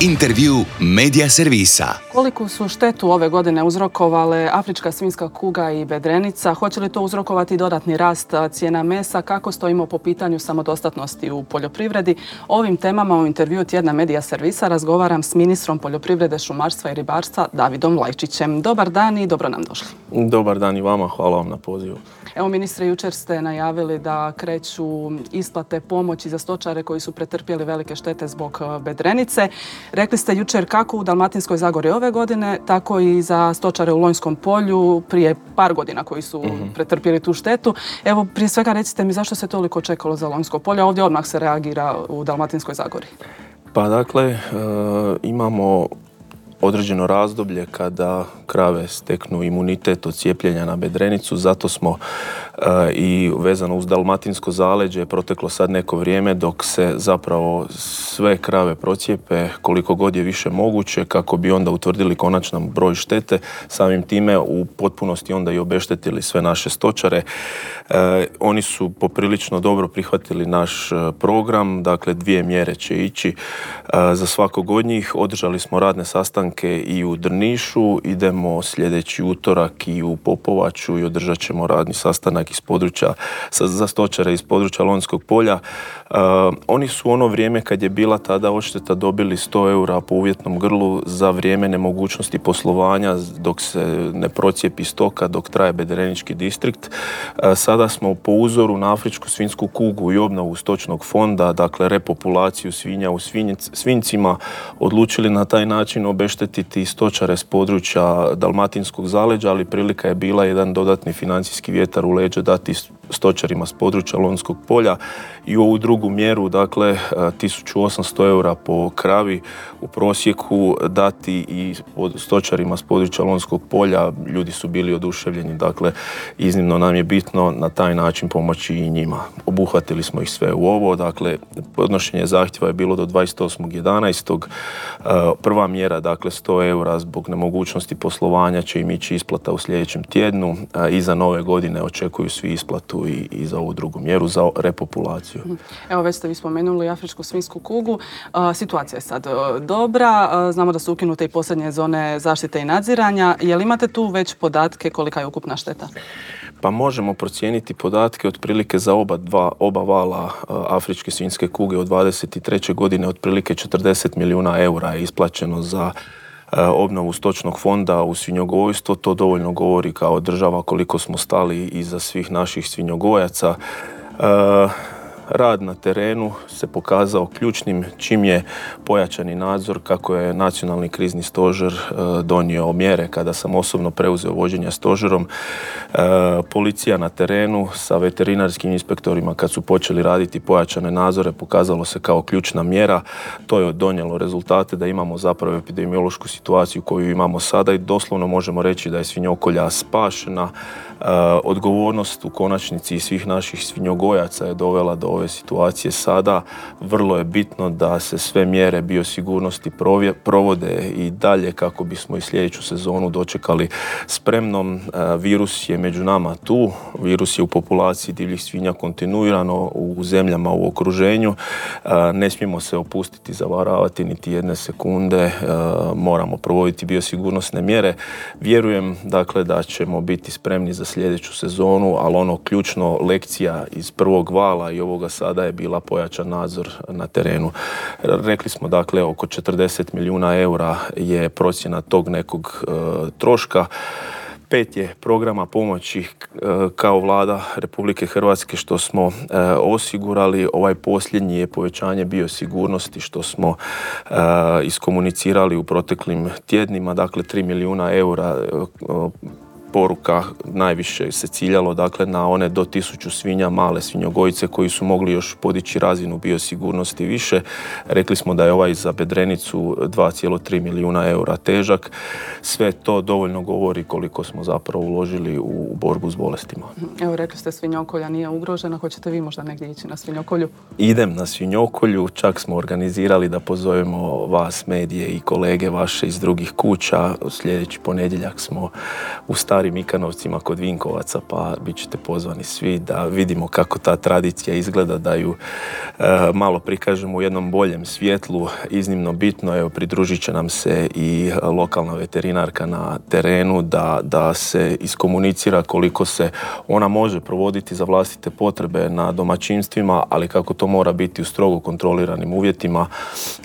Intervju Medija servisa. Koliku su štetu ove godine uzrokovale afrička svinjska kuga i bedrenica? Hoće li to uzrokovati dodatni rast cijena mesa? Kako stojimo po pitanju samodostatnosti u poljoprivredi? O ovim temama u intervju tjedna Medija servisa razgovaram s ministrom poljoprivrede, šumarstva i ribarstva Davidom Lajčićem. Dobar dan i dobro nam došli. Dobar dan i vama, hvala vam na pozivu. Evo ministre, jučer ste najavili da kreću isplate pomoći za stočare koji su pretrpjeli velike štete zbog bedrenice. Rekli ste jučer kako u Dalmatinskoj Zagori ove godine, tako i za stočare u Lonjskom polju prije par godina koji su pretrpjeli tu štetu. Evo, prije svega recite mi zašto se toliko čekalo za Lonjsko polje, a ovdje odmah se reagira u Dalmatinskoj Zagori. Pa dakle, imamo određeno razdoblje kada krave steknu imunitet od cijepljenja na bedrenicu, zato smo i vezano uz dalmatinsko zaleđe proteklo sad neko vrijeme dok se zapravo sve krave procijepe koliko god je više moguće kako bi onda utvrdili konačan broj štete, samim time u potpunosti onda i obeštetili sve naše stočare. Oni su poprilično dobro prihvatili naš program, dakle 2 mjere će ići za svakog od njih. Održali smo radne sastanke i u Drnišu, idemo sljedeći utorak i u Popovaču i održat ćemo radni sastanak iz područja, za stočare iz područja Lonjskog polja. Oni su ono vrijeme kad je bila tada odšteta dobili 100 eura po uvjetnom grlu za vrijeme nemogućnosti poslovanja dok se ne procijepi stoka, dok traje bedrenički distrikt. Sada smo po uzoru na afričku svinjsku kugu i obnovu stočnog fonda, dakle repopulaciju svinja u svinjcima, odlučili na taj način obeštetiti stočare s područja Dalmatinskog zaleđa, ali prilika je bila jedan dodatni financijski vjetar u leđa dati stočarima s područja Lonjskog polja i u ovu drugu mjeru, dakle 1800 eura po kravi u prosjeku dati i stočarima s područja Lonjskog polja. Ljudi su bili oduševljeni, dakle iznimno nam je bitno na taj način pomoći i njima. Obuhvatili smo ih sve u ovo, dakle podnošenje zahtjeva je bilo do 28.11. Prva mjera, dakle 100 eura zbog nemogućnosti poslovanja će im ići isplata u sljedećem tjednu. Iza nove godine očekuju svi isplatu i za ovu drugu mjeru, za repopulaciju. Evo, već ste vi spomenuli afričku svinjsku kugu. Situacija je sad dobra. Znamo da su ukinute i posljednje zone zaštite i nadziranja. Je li imate tu već podatke kolika je ukupna šteta? Pa možemo procijeniti podatke otprilike za oba vala afričke svinjske kuge od 23. godine. Otprilike 40 milijuna eura je isplaćeno za obnovu stočnog fonda u svinjogojstvo. To dovoljno govori kao država koliko smo stali iza svih naših svinjogojaca. Rad na terenu se pokazao ključnim čim je pojačani nadzor kako je Nacionalni krizni stožer donio mjere kada sam osobno preuzeo vođenje stožerom. Policija na terenu sa veterinarskim inspektorima kad su počeli raditi pojačane nadzore pokazalo se kao ključna mjera. To je donijelo rezultate da imamo zapravo epidemiološku situaciju koju imamo sada i doslovno možemo reći da je svinjokolja spašena. Odgovornost u konačnici svih naših svinjogojaca je dovela do ove situacije sada. Vrlo je bitno da se sve mjere biosigurnosti provode i dalje kako bismo i sljedeću sezonu dočekali spremnom. Virus je među nama tu, virus je u populaciji divljih svinja kontinuirano u zemljama u okruženju. Ne smijemo se opustiti, zavaravati niti jedne sekunde, moramo provoditi biosigurnosne mjere. Vjerujem dakle da ćemo biti spremni za sljedeću sezonu, ali ono ključno lekcija iz prvog vala i ovoga sada je bila pojačan nadzor na terenu. Rekli smo dakle oko 40 milijuna eura je procjena tog nekog troška. 5 je programa pomoći kao Vlada Republike Hrvatske što smo osigurali. Ovaj posljednji je povećanje biosigurnosti što smo iskomunicirali u proteklim tjednima. Dakle 3 milijuna eura poruka najviše se ciljalo dakle na one do 1000 svinja, male svinjogojice koji su mogli još podići razinu biosigurnosti više. Rekli smo da je ovaj za bedrenicu 2,3 milijuna eura težak. Sve to dovoljno govori koliko smo zapravo uložili u borbu s bolestima. Evo, rekli ste svinjokolja nije ugrožena. Hoćete vi možda negdje ići na svinjokolju? Idem na svinjokolju. Čak smo organizirali da pozovemo vas, medije i kolege vaše iz drugih kuća. Sljedeći ponedjeljak smo u Stari Starim Ikanovcima kod Vinkovaca, pa bit ćete pozvani svi da vidimo kako ta tradicija izgleda, da ju malo prikažemo u jednom boljem svjetlu. Iznimno bitno, evo, pridružit će nam se i lokalna veterinarka na terenu da se iskomunicira koliko se ona može provoditi za vlastite potrebe na domaćinstvima, ali kako to mora biti u strogo kontroliranim uvjetima,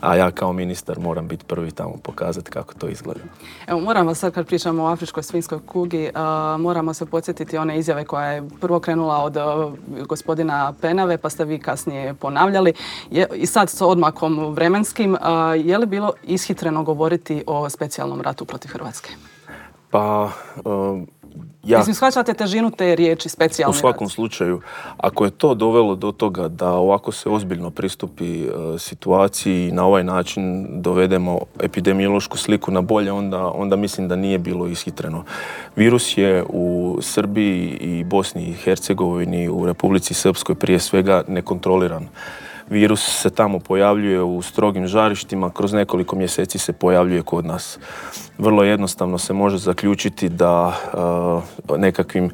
a ja kao ministar moram biti prvi tamo pokazati kako to izgleda. Evo, moramo sad, kad pričamo o afričkoj svinjskoj kugi, moramo se podsjetiti one izjave koja je prvo krenula od gospodina Penave, pa ste vi kasnije ponavljali. I sad s odmakom vremenskim, je li bilo ishitreno govoriti o specijalnom ratu protiv Hrvatske? Pa... Mislim, shvaćate težinu te riječi specijalni rat? U svakom slučaju, ako je to dovelo do toga da ovako se ozbiljno pristupi situaciji i na ovaj način dovedemo epidemiološku sliku na bolje, onda mislim da nije bilo ishitreno. Virus je u Srbiji i Bosni i Hercegovini, u Republici Srpskoj prije svega nekontroliran. Virus se tamo pojavljuje u strogim žarištima, kroz nekoliko mjeseci se pojavljuje kod nas. Vrlo jednostavno se može zaključiti da nekakvim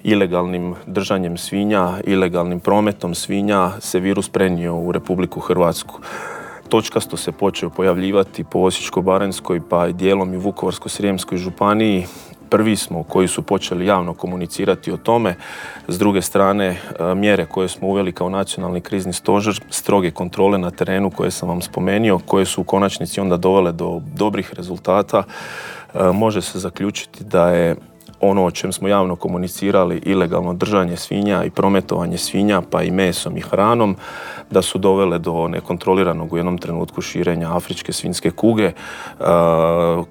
ilegalnim držanjem svinja, ilegalnim prometom svinja se virus prenio u Republiku Hrvatsku. Točkasto se počeo pojavljivati po Osječko-baranjskoj pa i dijelom i Vukovarsko-srijemskoj županiji. Prvi smo koji su počeli javno komunicirati o tome. S druge strane, mjere koje smo uveli kao nacionalni krizni stožer, stroge kontrole na terenu koje sam vam spomenuo, koje su u konačnici onda dovele do dobrih rezultata, može se zaključiti da je ono o čem smo javno komunicirali, ilegalno držanje svinja i prometovanje svinja, pa i mesom i hranom, da su dovele do nekontroliranog u jednom trenutku širenja afričke svinjske kuge.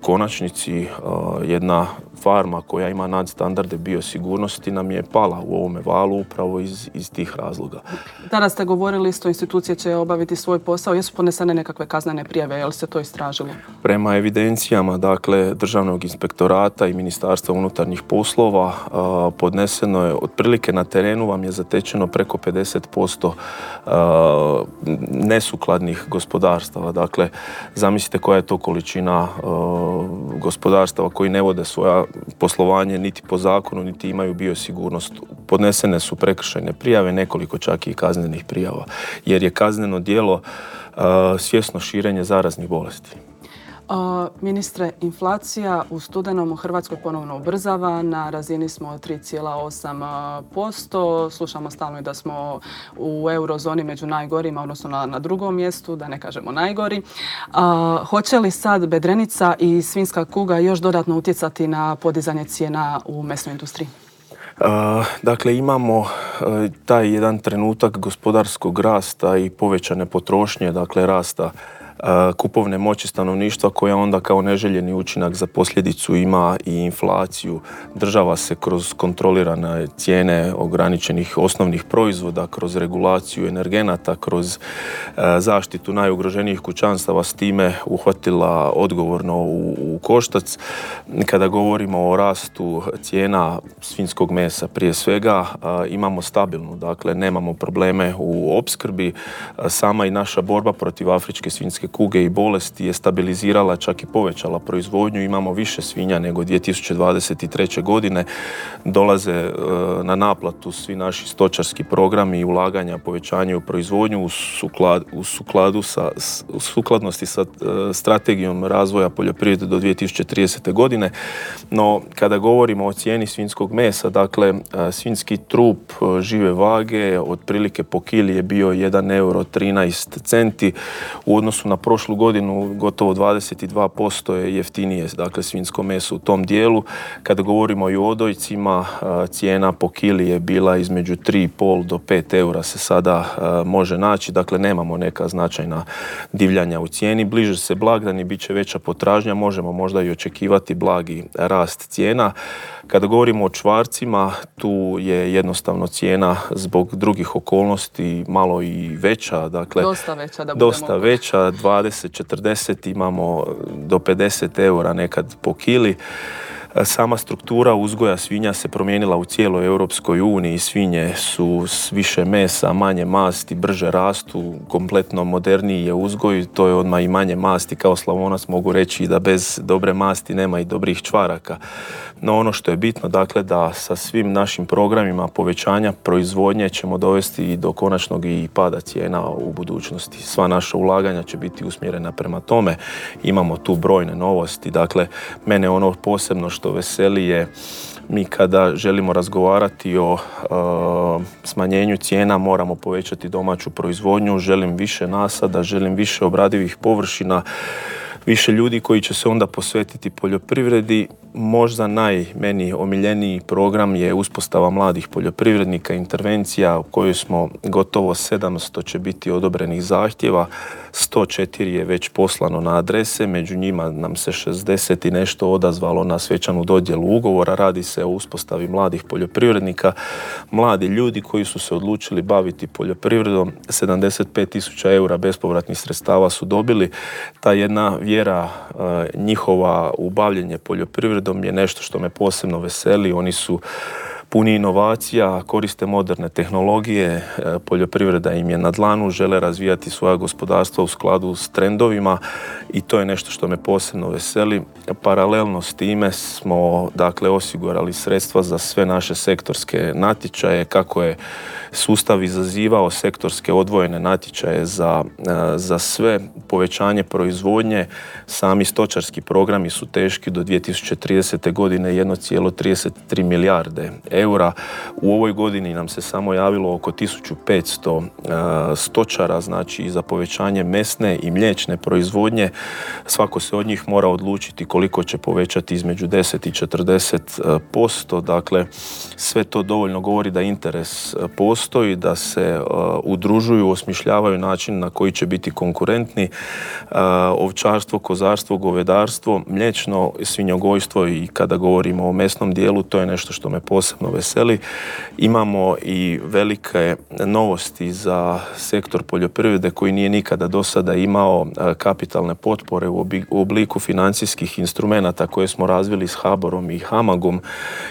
Konačnici jedna farma koja ima nadstandarde biosigurnosti nam je pala u ovome valu upravo iz tih razloga. Tada ste govorili isto, institucije će obaviti svoj posao. Jesu podnesene nekakve kaznene prijave? Je li se to istražilo? Prema evidencijama, dakle, Državnog inspektorata i Ministarstva unutarnjih poslova podneseno je otprilike na terenu vam je zatečeno preko 50% nesukladnih gospodarstava. Dakle, zamislite koja je to količina gospodarstava koji ne vode svoja poslovanje niti po zakonu, niti imaju biosigurnost. Podnesene su prekršajne prijave, nekoliko čak i kaznenih prijava, jer je kazneno djelo svjesno širenje zaraznih bolesti. Ministre, inflacija u studenom u Hrvatskoj ponovno ubrzava. Na razini smo 3,8%. Slušamo stalno da smo u eurozoni među najgorima, odnosno na drugom mjestu, da ne kažemo najgori. Hoće li sad bedrenica i svinjska kuga još dodatno utjecati na podizanje cijena u mesnoj industriji? Dakle, imamo taj jedan trenutak gospodarskog rasta i povećane potrošnje, dakle rasta kupovne moći stanovništva koja onda kao neželjeni učinak za posljedicu ima i inflaciju. Država se kroz kontrolirane cijene ograničenih osnovnih proizvoda, kroz regulaciju energenata, kroz zaštitu najugroženijih kućanstava s time uhvatila odgovorno u koštac. Kada govorimo o rastu cijena svinjskog mesa prije svega, imamo stabilnu, dakle nemamo probleme u opskrbi. Sama i naša borba protiv afričke svinjske kuge i bolesti je stabilizirala, čak i povećala proizvodnju. Imamo više svinja nego 2023. godine. Dolaze na naplatu svi naši stočarski programi i ulaganja, povećanje u proizvodnju u sukladnosti sa strategijom razvoja poljoprivrede do 2030. godine. No, kada govorimo o cijeni svinjskog mesa, dakle, svinjski trup žive vage otprilike po kili je bio 1,13 € u odnosu na prošlu godinu gotovo 22% je jeftinije, dakle svinjsko meso u tom dijelu. Kada govorimo i o odojcima, cijena po kili je bila između 3,5 do 5 € se sada može naći, dakle nemamo neka značajna divljanja u cijeni. Bliže se blagdani, bit će veća potražnja, možemo možda i očekivati blagi rast cijena. Kada govorimo o čvarcima, tu je jednostavno cijena zbog drugih okolnosti malo i veća. Dakle, dosta veća, 20, 40, imamo do 50 € nekad po kili. Sama struktura uzgoja svinja se promijenila u cijeloj Europskoj uniji. Svinje su s više mesa, manje masti, brže rastu, kompletno moderniji je uzgoj, to je odmah i manje masti. Kao Slavonac mogu reći da bez dobre masti nema i dobrih čvaraka. No ono što je bitno, dakle, da sa svim našim programima povećanja proizvodnje ćemo dovesti i do konačnog i pada cijena u budućnosti. Sva naša ulaganja će biti usmjerena prema tome. Imamo tu brojne novosti. Dakle, mene ono posebno što veseli je, mi kada želimo razgovarati o smanjenju cijena moramo povećati domaću proizvodnju, želim više nasada, želim više obradivih površina, više ljudi koji će se onda posvetiti poljoprivredi. Možda meni omiljeniji program je uspostava mladih poljoprivrednika, intervencija u kojoj smo gotovo 700 će biti odobrenih zahtjeva, 104 je već poslano na adrese, među njima nam se 60 i nešto odazvalo na svečanu dodjelu ugovora. Radi se o uspostavi mladih poljoprivrednika, mladi ljudi koji su se odlučili baviti poljoprivredom, 75.000 eura bespovratnih sredstava su dobili. Ta jedna vjera njihova u bavljenje poljoprivredom je nešto što me posebno veseli. Oni su puni inovacija, koriste moderne tehnologije, poljoprivreda im je na dlanu, žele razvijati svoja gospodarstva u skladu s trendovima i to je nešto što me posebno veseli. Paralelno s time smo, dakle, osigurali sredstva za sve naše sektorske natječaje, kako je sustav izazivao sektorske odvojene natječaje za sve povećanje proizvodnje. Sami stočarski programi su teški do 2030. godine 1,33 milijarde eura. U ovoj godini nam se samo javilo oko 1500 stočara, znači za povećanje mesne i mliječne proizvodnje. Svako se od njih mora odlučiti koliko će povećati između 10 i 40%. Dakle, sve to dovoljno govori da interes postoji, da se udružuju, osmišljavaju način na koji će biti konkurentni. Ovčarstvo, kozarstvo, govedarstvo, mliječno svinjogojstvo i kada govorimo o mesnom dijelu, to je nešto što me posebno veseli. Imamo i velike novosti za sektor poljoprivrede koji nije nikada do sada imao kapitalne potpore u obliku financijskih instrumenata koje smo razvili s HBOR-om i HAMAG-om.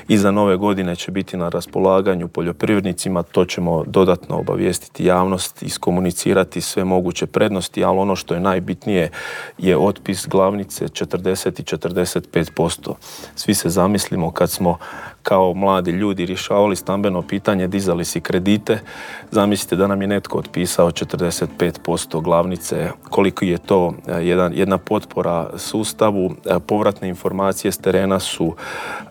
Iza nove godine će biti na raspolaganju poljoprivrednicima, to ćemo dodatno obavijestiti javnost, iskomunicirati sve moguće prednosti, ali ono što je najbitnije je otpis glavnice 40 i 45%. Svi se zamislimo kad smo kao mladi ljudi rješavali stambeno pitanje, dizali si kredite, zamislite da nam je netko otpisao 45% glavnice, koliko je to jedna potpora sustavu. Povratne informacije s terena su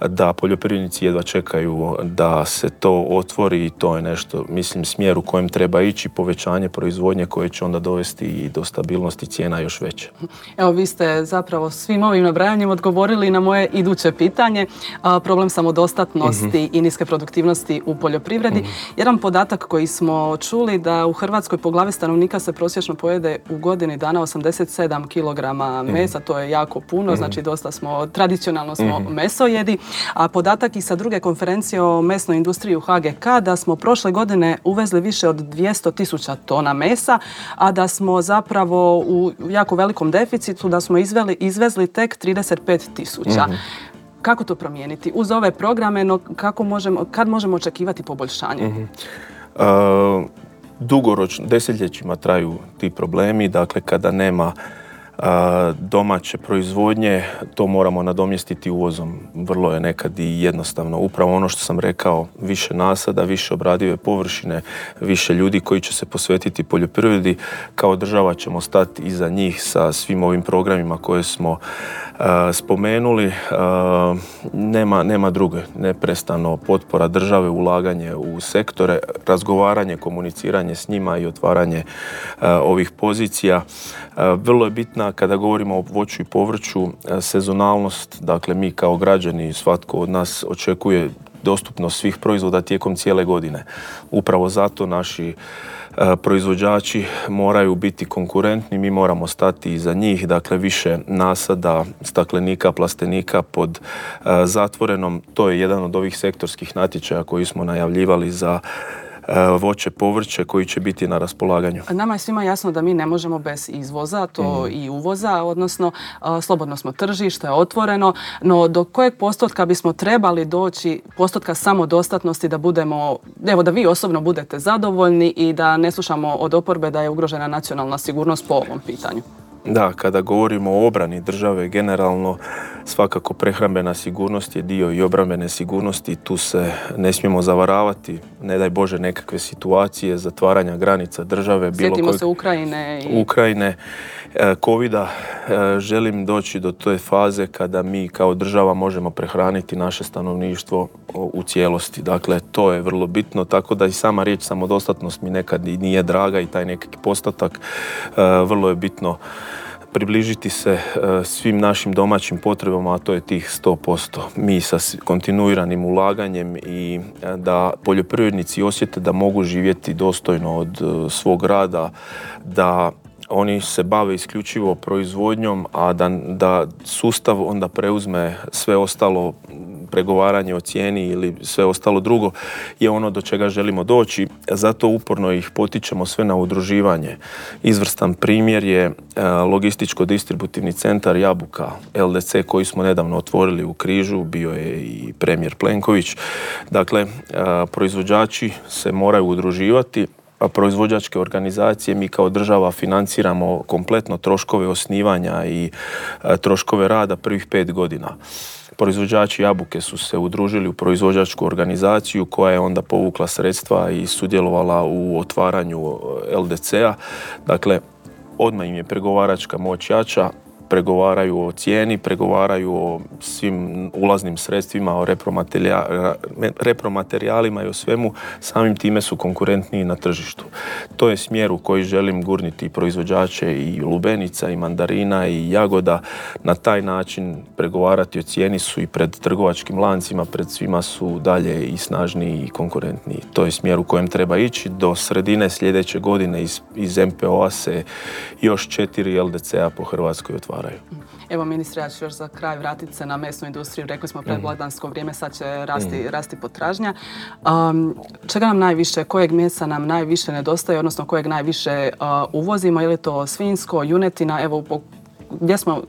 da poljoprivrednici jedva čekaju da se to otvori i to je nešto, mislim, smjer u kojem treba ići, povećanje proizvodnje koje će onda dovesti i do stabilnosti cijena još veće. Evo, vi ste zapravo svim ovim nabrajanjem odgovorili na moje iduće pitanje, problem samodostatnosti i niske produktivnosti u poljoprivredi. Jedan podatak koji smo čuli da u Hrvatskoj po glavi stanovnika se prosječno pojede u godini dana 87 kg mesa, to je jako puno, znači dosta smo, tradicionalno smo mesojedi, a podatak i sa druge konferencije o mesnoj industriji u HGK da smo prošle godine uvezli više od 200.000 tona mesa, a da smo zapravo u jako velikom deficitu, da smo izvezli tek 35.000. Kako to promijeniti? Uz ove programe, no kad možemo očekivati poboljšanje? Dugoročno, desetljećima traju ti problemi, dakle kada nema domaće proizvodnje, to moramo nadomjestiti uvozom. Vrlo je nekad i jednostavno. Upravo ono što sam rekao, više nasada, više obradive površine, više ljudi koji će se posvetiti poljoprivredi. Kao država ćemo stati iza njih sa svim ovim programima koje smo spomenuli. Nema druge. Neprestano potpora države, ulaganje u sektore, razgovaranje, komuniciranje s njima i otvaranje ovih pozicija. Vrlo je bitna kada govorimo o voću i povrću sezonalnost. Dakle, mi kao građani, svatko od nas očekuje dostupnost svih proizvoda tijekom cijele godine. Upravo zato naši proizvođači moraju biti konkurentni, mi moramo stati iza njih, dakle više nasada, staklenika, plastenika pod zatvorenom. To je jedan od ovih sektorskih natječaja koji smo najavljivali za voće, povrće koji će biti na raspolaganju. Nama je svima jasno da mi ne možemo bez izvoza, to i uvoza, odnosno slobodno smo tržište, otvoreno, no do kojeg postotka bismo trebali doći, postotka samodostatnosti da budemo, evo da vi osobno budete zadovoljni i da ne slušamo od oporbe da je ugrožena nacionalna sigurnost po ovom pitanju? Da, kada govorimo o obrani države, generalno svakako prehrambena sigurnost je dio i obrambene sigurnosti. Tu se ne smijemo zavaravati, ne daj Bože nekakve situacije, zatvaranja granica države. Sjetimo se Ukrajine. Covida. Želim doći do te faze kada mi kao država možemo prehraniti naše stanovništvo u cijelosti. Dakle, to je vrlo bitno, tako da i sama riječ samodostatnost mi nekad i nije draga i taj nekakvi postotak vrlo je bitno približiti se svim našim domaćim potrebama, a to je tih 100%. Mi sa kontinuiranim ulaganjem i da poljoprivrednici osjete da mogu živjeti dostojno od svog rada, da oni se bave isključivo proizvodnjom, a da sustav onda preuzme sve ostalo, pregovaranje o cijeni ili sve ostalo drugo je ono do čega želimo doći. Zato uporno ih potičemo sve na udruživanje. Izvrstan primjer je logističko-distributivni centar Jabuka, LDC, koji smo nedavno otvorili u Križu, bio je i premijer Plenković. Dakle, proizvođači se moraju udruživati, a proizvođačke organizacije mi kao država financiramo kompletno troškove osnivanja i troškove rada prvih 5 godina. Proizvođači jabuke su se udružili u proizvođačku organizaciju koja je onda povukla sredstva i sudjelovala u otvaranju LDC-a. Dakle, odmah im je pregovaračka moć jača, pregovaraju o cijeni, pregovaraju o svim ulaznim sredstvima, o repromaterijalima i o svemu, samim time su konkurentniji na tržištu. To je smjer u koji želim gurniti proizvođače i lubenica, i mandarina, i jagoda. Na taj način pregovarati o cijeni su i pred trgovačkim lancima, pred svima su dalje i snažniji i konkurentniji. To je smjer u kojem treba ići. Do sredine sljedeće godine iz MPO-a se još 4 LDC-a po Hrvatskoj otvaraju. Evo ministre, ja ću još za kraj vratiti se na mesnu industriju. Rekli smo predblagdansko vrijeme, sad će rasti potražnja. Čega nam najviše, kojeg mesa nam najviše nedostaje, odnosno kojeg najviše uvozimo? Je li to svinjsko, junetina? Evo, gdje smo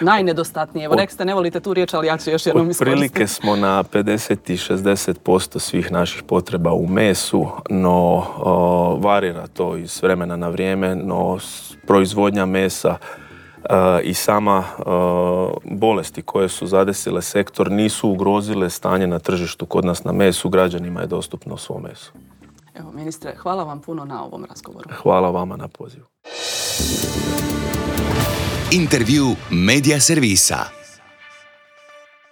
najnedostatniji? Evo, rekli ste, ne volite tu riječ, ali ja ću još jednom iskoristiti. Otprilike smo na 50 i 60% svih naših potreba u mesu, no varira to iz vremena na vrijeme, no proizvodnja mesa i sama bolesti koje su zadesile sektor nisu ugrozile stanje na tržištu. Kod nas na mesu građanima je dostupno svo meso. Evo, ministre, hvala vam puno na ovom razgovoru. Hvala vama na pozivu. Intervju Media servisa.